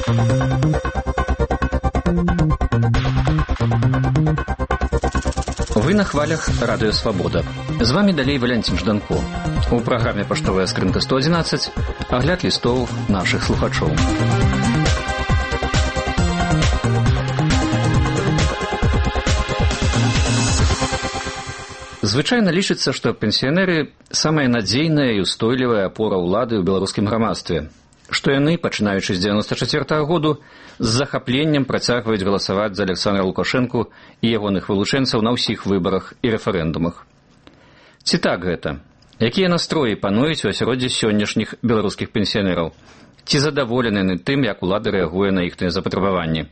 Вы на хвалях Радио Свобода. З вами далей Валянцін Жданко. У праграме «Паштовая скрынка 111» агляд лістоў нашых слухачоў. Звычайна лічыцца, што пенсіянеры – самая надзейная і устойлівая апора ўлады ў беларускім грамадстве, што яны, пачынаючы з 94-го году, з захапленнем працягваюць галасаваць за Александра Лукашэнку і ягоных вылучэнцаў на ўсіх выбарах і рэферэндумах. Ці так гэта? Якія настроі пануюць у асяроддзі сённяшніх беларускіх пенсіянераў? Ці задаволены яны тым, як улада рэагуе на іхныя запатрабаванні?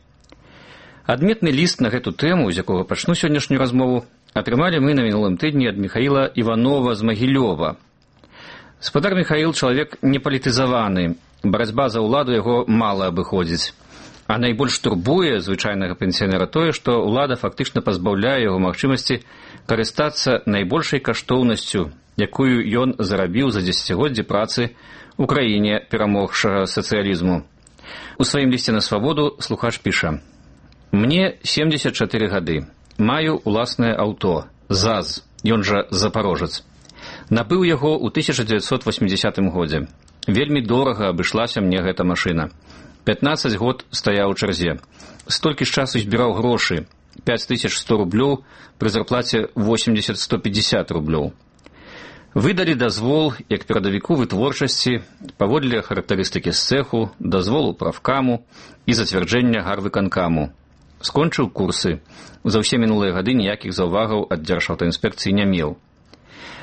Адметны ліст на гэту тэму, з якога пачну сённяшнюю размову, атрымалі мы на мінулым тыдні ад Михаіла Іванова з Магілёва. Спадар Михаіл чалавек непалітызаваны, барацьба за ўладу яго мала абыходзіць. А найбольш турбуе звычайнага пенсіянера тое, што ўлада фактычна пазбаўляе яго магчымасці карыстацца найбольшай каштоўнасцю, якую ён зарабіў за дзесяцігоддзі працы ў краіне перамогшага сацыялізму. У сваім лісце на свабоду слухач піша: «Мне 74 гады. Маю уласнае аўто, ЗАЗ, ён жа запарожец. Набыў яго ў 1980 годзе. Вельмі дорага абышлася мне гэта машына. 15 год стаяў у чарзе. Столькі ж часу збіраў грошы, 5100 рублёў пры зарплаце 80-150 рублёў. Выдалі дазвол, як перадавіку вытворчасці, паводле характарыстыкі з цэху, дазволу правкаму і зацвярджэння гарвыканкаму. Скончыў курсы. За ўсе мінулыя гады ніякіх заўвагаў ад Дзяржаўтаінспекцыі не меў.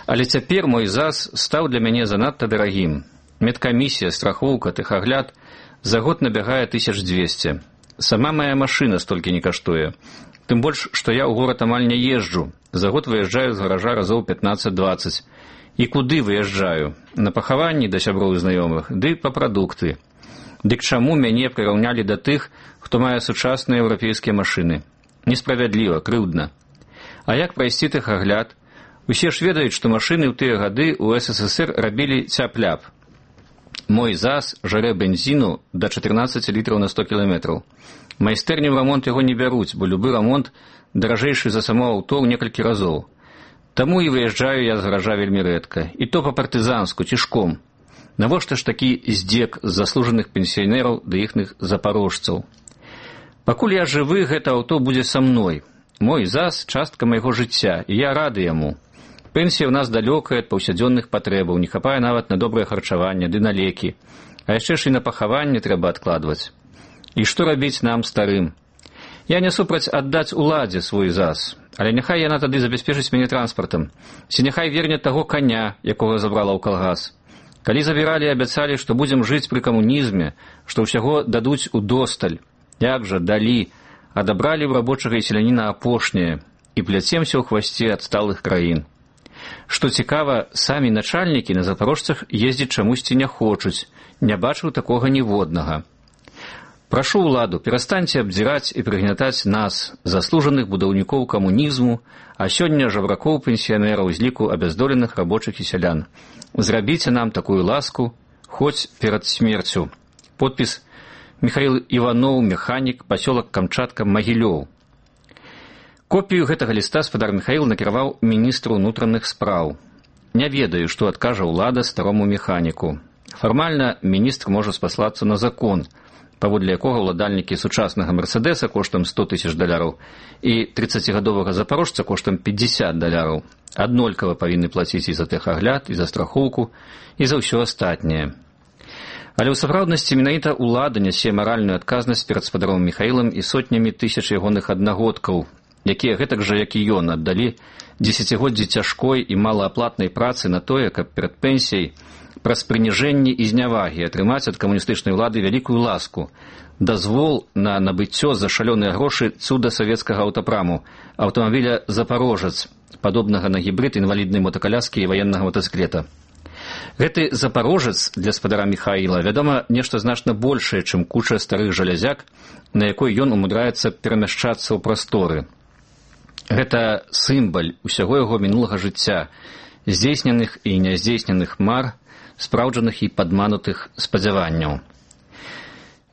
Але цяпер мой ЗАЗ стаў для мяне занадта дарагім. Медкамісія, страхоўка, тэхагляд за год набягае 1200. Сама моя машына столькі не каштуе. Тым больш, што я ў горад амаль не езджу. За год выязджаю з гаража разоў 15-20. І куды выязджаю? На пахаванні да сяброў і знаёмых, ды па прадукты. Дык чаму мяне прыраўнялі да тых, хто мае сучасныя еўрапейскія машыны? Несправядліва, крыўдна. А як прайсці тэхагляд? Усе ж ведаюць, што машыны ў тыя гады ў СССР рабілі цяп-ляп. Мой ЗАЗ жарэ бензіну да 14 літраў на 100 кіламетраў. Майстэрні ў рамонт яго не бяруць, бо любы рамонт даражэйшы за само аўто ў некалькі разоў. Таму і выязджаю я з гаража вельмі рэдка, і то па-партызанску, цішком. Навошта ж такі здзек з заслужаных пенсіянераў да іхных запарожцаў? Пакуль я жывы, гэта аўто будзе са мной. Мой ЗАЗ – частка майго жыцця, і я рады яму. Пенсія ў нас далёкая ад паўсядзённых патрэбаў, не хапае нават на добрае харчаванне ды на лекі. А яшчэ ж і на пахаванне трэба адкладваць. І што рабіць нам, старым? Я не супраць аддаць уладзе свой ЗАЗ, але няхай яна тады забяспечыць мяне транспартам. Ці няхай верне таго каня, якога забрала ў калгас. Калі забіралі, абяцалі, што будзем жыць пры камунізме, што ўсяго дадуць удосталь. Як жа, далі, адабралі ў рабочага і селяніна апошняе і пляцемся ў хвасце адсталых краін. Што цікава, самі начальнікі на запарожцах ездзіць чамусьці не хочуць, не бачыў такога ніводнага. Прашу ўладу, перастаньце абдзіраць і прыгнятаць нас, заслужаных будаўнікоў камунізму, а сёння жабракоў пенсіянераў з ліку абяздоленых рабочых і сялян. Зрабіце нам такую ласку, хоць перад смерцю. Подпіс: Михаіл Іванов, механік, пасёлак Камчатка, Магілёў. Копію гэтага ліста спадар Михаіл накіраваў міністру ўнутраных спраў. Не ведаю, што адкажа ўлада старому механіку. Фармальна міністр можа спаслацца на закон, паводле якога ўладальнікі сучаснага «Мерседеса» коштам $100 000 і 30-гадовага запарожца коштам $50 аднолькава павінны плаціць і за тэхагляд, і за страхоўку, і за ўсё астатняе. Але ў сапраўднасці менавіта ўлада нясе маральную адказнасць перад спадаром Михаілам і сотнямі тысяч ягоных аднагодкаў, якія гэтак жа, як і ён, аддалі дзесяцігоддзі цяжкой і малааплатнай працы на тое, каб перад пенсіяй праз прыніжэнне і знявагі атрымаць ад камуністычнай улады вялікую ласку, дазвол на набыццё за шалёныя грошы цуда савецкага аўтапраму, аўтамабіля «Запарожец», падобнага на гібрид інваліднай мотакаляскі і ваеннага мотацыклета. Гэты «Запарожец» для спадара Михаіла, вядома, нешта значна большае, чым куча старых жалязяк, на якой ён умудряецца перамяшчацца ў прасторы. Гэта сімбаль усяго яго мінулага жыцця, здзейсненых і няздзейсненых мар, спраўджаных і падманутых спадзяванняў.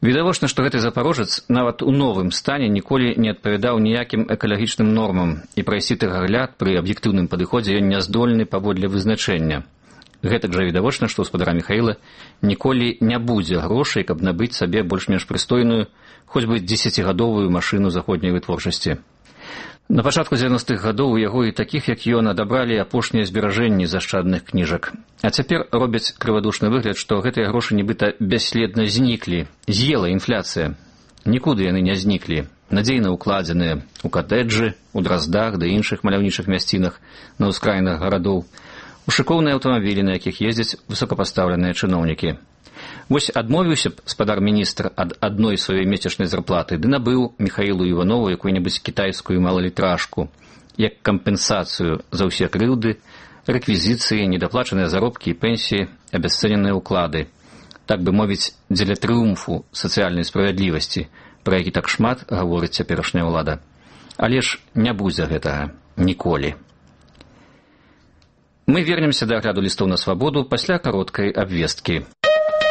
Відавочна, што гэты запарожец нават у новым стане ніколі не адпавядаў ніякім экалагічным нормам, і прайсці тэхагляд пры аб'ектыўным падыходзе ён не здольны паводле вызначэння. Гэтак жа відавочна, што гаспадара Міхаіла ніколі не будзе грошай, каб набыць сабе больш-менш прыстойную, хоць бы 10гадовую машыну заходняй вытворчасці. На пачатку 90-х гадоў у яго і такіх, як ён, адабралі апошнія зберажэнні зашчадных кніжак. А цяпер робяць крывадушны выгляд, што гэтыя грошы нібыта бясследна зніклі, з'ела інфляцыя. Нікуды яны не зніклі, надзейна укладзеныя ў катэджы, у Драздах ды іншых маляўнічых мясцінах на ўскраінах гарадоў, у шыкоўныя аўтамабілі, на якіх ездзяць высокапастаўленыя чыноўнікі. Вось адмовіўся б спадар-міністр ад адной сваёй месячнай зарплаты ды набыў Міхаілу Іванову якую-небудзь кітайскую малалітражку, як кампенсацыю за ўсе крыўды, рэквізіцыі, недаплачаныя заробкі і пенсіі, абясцэненыя ўклады. Так бы мовіць, дзеля трыумфу сацыяльнай справядлівасці, пра які так шмат гаворыць цяперашняя ўлада. Але ж не будзе гэтага ніколі. Мы вернемся да агляду лістоў на свабоду пасля кароткай абвесткі.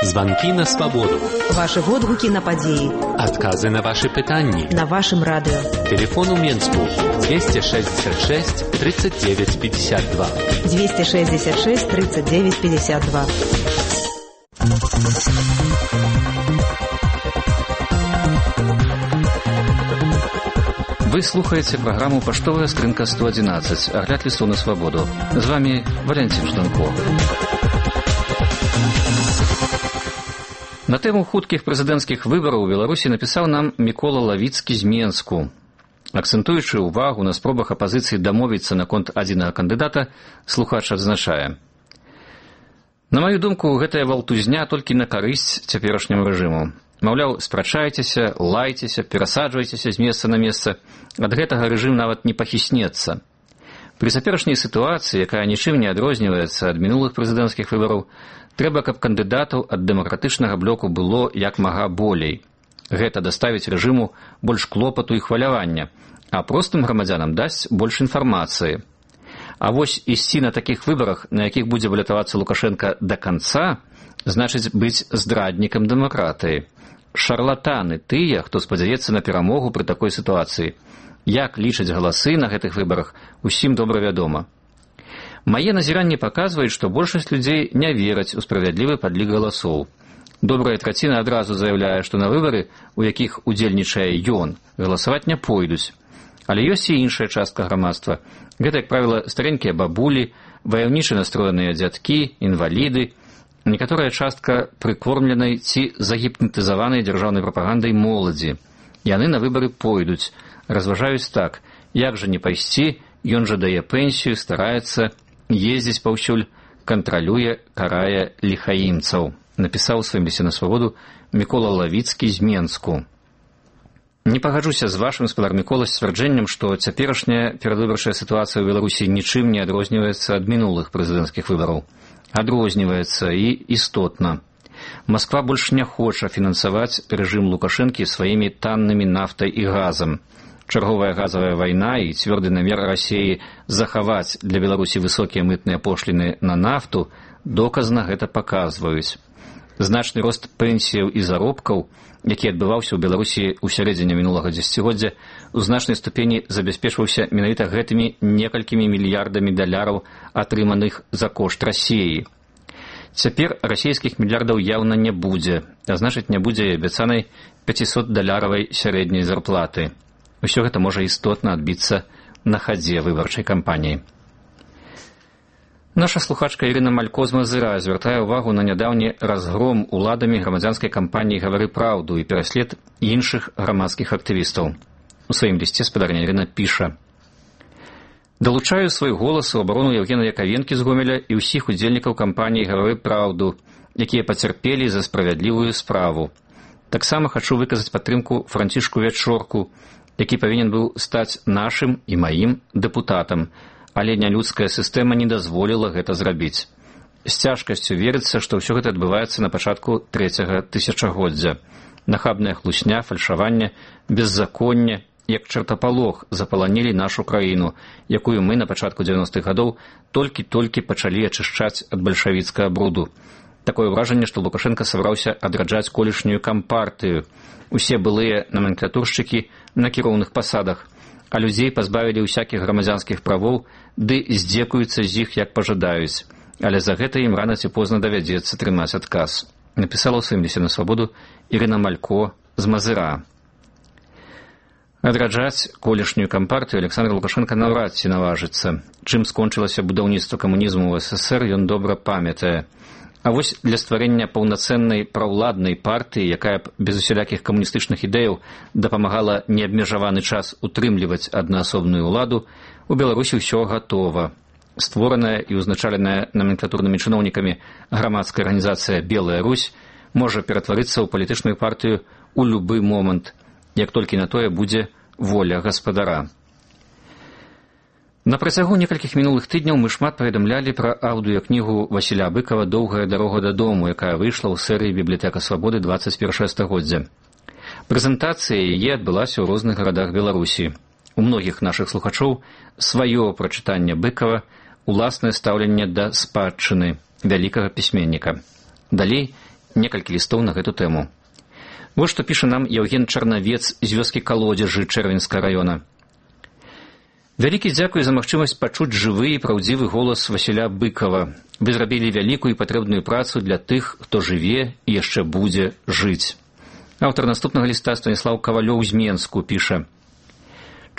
Звонки на свободу. Ваши водгуки на подеи. Отказы на ваши пытанни. На вашем радио. Телефон у Менску 266 39 52. 266 39 52. Вы слухаете программу «Поштовая скрынка 111». Огляд листов на свободу. С вами Валентин Жданко. На тэму хуткіх прэзідэнцкіх выбараў у Беларусі напісаў нам Мікола Лавіцкі з Менску. Акцэнтуючы ўвагу на спробах апазіцыі дамовіцца наконт адзінага кандыдата, слухач адзначае: на маю думку, гэтая валтузня толькі на карысць цяперашняму рэжыму. Маўляў, спрачайцеся, лайцеся, перасаджвайцеся з месца на месца. Ад гэтага рэжым нават не пахіснецца. Пры цяперашняй сітуацыі, якая нічым не адрозніваецца ад мінулых прэзідэнцкіх выбараў, трэба, каб кандыдатаў ад дэмакратычнага блоку было як мага болей. Гэта даставіць рэжыму больш клопату і хвалявання, а простым грамадзянам дасць больш інфармацыі. А вось ісці на такіх выбарах, на якіх будзе балятавацца Лукашенка да канца, значыць быць здраднікам дэмакратыі. Шарлатаны тыя, хто спадзяецца на перамогу пры такой сітуацыі. Як лічаць галасы на гэтых выбарах, усім добра вядома. Мае назіранні паказваюць, што большасць людзей не вераць у справядлівы падлік галасоў. Добрая траціна адразу заяўляе, што на выбары, у якіх удзельнічае ён, галасаваць не пойдуць. Але ёсць і іншая частка грамадства. Гэта, як правіла, старенькія бабулі, ваяўніча настроеныя дзядкі, інваліды, некаторая частка прыкормленай ці загіпнатызаванай дзяржаўнай прапагандай моладзі. Яны на выбары пойдуць, разважаюць так: як жа не пайсці, ён жа дае пенсію, стараецца, ездзіць паўсюль, кантралюе, карае ліхаімцаў, напісаў у сваім лісце на свабоду Мікола Лавіцкі з Менску. Не пагаджуся з вашым, спадар Мікола, сцвярджэннем, што цяперашняя перадвыбарчая сітуацыя ў Беларусі нічым не адрозніваецца ад мінулых прэзідэнцкіх выбараў. Адрозніваецца і істотна. Масква больш не хоча фінансаваць рэжым Лукашэнкі сваімі таннымі нафтай і газам. Чарговая газавая вайна і цвёрды намер Расіі захаваць для Беларусі высокія мытныя пошліны на нафту доказна гэта паказваюць. Значны рост пенсіяў і заробкаў, які адбываўся ў Беларусі ў сярэдзіне мінулага дзесяцігоддзя, у значнай ступені забяспечваўся менавіта гэтымі некалькімі мільярдамі даляраў, атрыманых за кошт Расіі. Цяпер расійскіх мільярдаў яўна не будзе, а значыць не будзе і абяцанай 500-даляравай сярэдняй зарплаты. Усё гэта можа істотна адбіцца на хадзе выбарчай кампаніі. Наша слухачка Ірына Малько з Мазыра звяртае ўвагу на нядаўні разгром уладамі грамадзянскай кампаніі «Гавары праўду» і пераслед іншых грамадскіх актывістаў. У сваім лісце спадарня Ірына піша: «Далучаю свой голас у абарону Евгена Яковенкі з Гомеля і ўсіх удзельнікаў кампаніі «Гавары праўду», якія пацярпелі за справядлівую справу. Таксама хачу выказаць падтрымку Францішку Вячорку, які павінен быў стаць нашым і маім дэпутатам, але нялюдская сістэма не дазволіла гэта зрабіць. З цяжкасцю верыцца, што ўсё гэта адбываецца на пачатку 3-го тысячагоддзя. Нахабная хлусня, фальшаванне, беззаконне, як чартапалох запаланілі нашу краіну, якую мы на пачатку 90-х гадоў толькі-толькі пачалі ачышчаць ад бальшавіцкага бруду. Такое ўражанне, што Лукашенко сабраўся адраджаць колішнюю кампартыю. Усе былыя номенклатуршчыкі на кіроўных пасадах, а людзей пазбавілі ўсякіх грамадзянскіх правоў, ды здзекуюцца з іх, як пажадаюць. Але за гэта ім рана ці позна давядзецца трымаць адказ. Напісала ў сваім лісце на свабоду Ірына Малько з Мазыра. Адраджаць колішнюю кампартыю Александр Лукашенко наўрад ці наважыцца. Чым скончылася будаўніцтва камунізму ў СССР, ён добра памятае. А вось для стварэння паўнацэннай праўладнай партыі, якая б без усялякіх камуністычных ідэяў дапамагала неабмежаваны час утрымліваць аднаасобную ўладу, у Беларусі ўсё гатова. Створаная і ўзначаленая номенклатурнымі чыноўнікамі грамадская арганізацыя «Белая Русь» можа ператварыцца ў палітычную партыю ў любы момант, як толькі на тое будзе воля гаспадара. На працягу некалькіх мінулых тыдняў мы шмат паведамлялі пра аўдыёкнігу Васіля Быкава «Доўгая дарога дадому», якая выйшла ў серыі «Бібліятэка свабоды 21 стагоддзя». Прэзентацыя яе адбылася ў розных гарадах Беларусі. У многіх нашых слухачоў сваё прачытанне Быкава, уласнае стаўленне да спадчыны вялікага пісьменніка. Далей некалькі лістоў на гэту тэму. Вот што піша нам Яўген Чарнавец з вёскі Калодзежы Чэрвеньскага раёна. Вялікі дзякуй за магчымасць пачуць жывы і праўдзівы голас Васіля Быкава. Вы зрабілі вялікую і патрэбную працу для тых, хто жыве і яшчэ будзе жыць. Аўтар наступнага ліста Станіслаў Кавалёў з Менску піша: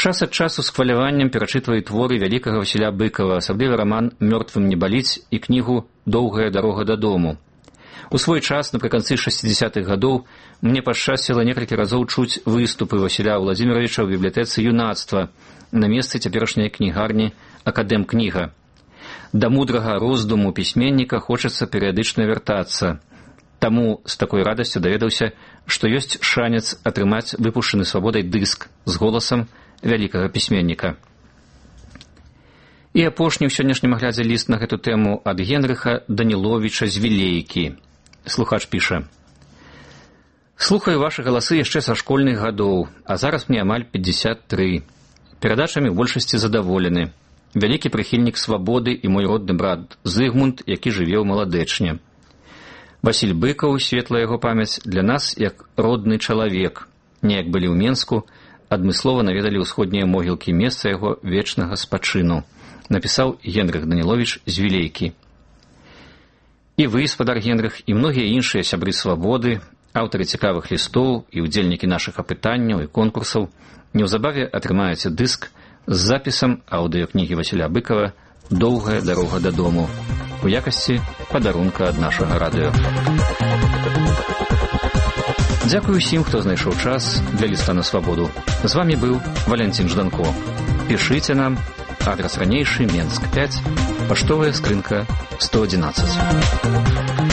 час ад часу з хваляваннем перачытваю творы вялікага Васіля Быкава, асабліва раман «Мёртвым не баліць» і кнігу «Доўгая дарога дадому». У свой час, напрыканцы 60-х гадоў, мне пашчасціла некалькі разоў чуць выступы Васіля Владзіміровіча ў бібліятэцы юнацтва на месцы цяперашняй кнігарні «Акадэм-кніга». Да мудрага роздуму пісьменніка хочацца перыядычна вяртацца. Таму з такой радасцю даведаўся, што ёсць шанец атрымаць выпушчаны свабодай дыск з голасам вялікага пісьменніка. І апошні ў сённяшнім аглядзе ліст на гэту тэму ад Генрыха Даніловіча з Вілейкі. Слухач піша: «Слухаю вашы галасы яшчэ са школьных гадоў, а зараз мне амаль 53. Перадачамі ў большасці задаволены. Вялікі прыхільнік свабоды і мой родны брат Зыгмунд, які жыве ў Маладэчне. Васіль Быкаў, светлая яго памяць, для нас як родны чалавек. Неяк былі ў Менску, адмыслова наведалі ўсходнія могілкі, месца яго вечнага спачыну», напісаў Генрых Даніловіч з Вілейкі. І вы, спадар Генрых, і многія іншыя сябры свабоды, аўтары цікавых лістоў і ўдзельнікі нашых апытанняў і конкурсаў неўзабаве атрымаеце дыск з запісам аўдыёкнігі Васіля Быкава «Доўгая дарога дадому» у якасці падарунка ад нашага радыё. Дзякую ўсім, хто знайшоў час для ліста на свабоду. З вамі быў Валянцін Жданко. Пішыце нам. Адрес ранейшы, Менск 5, паштовая скрынка 111.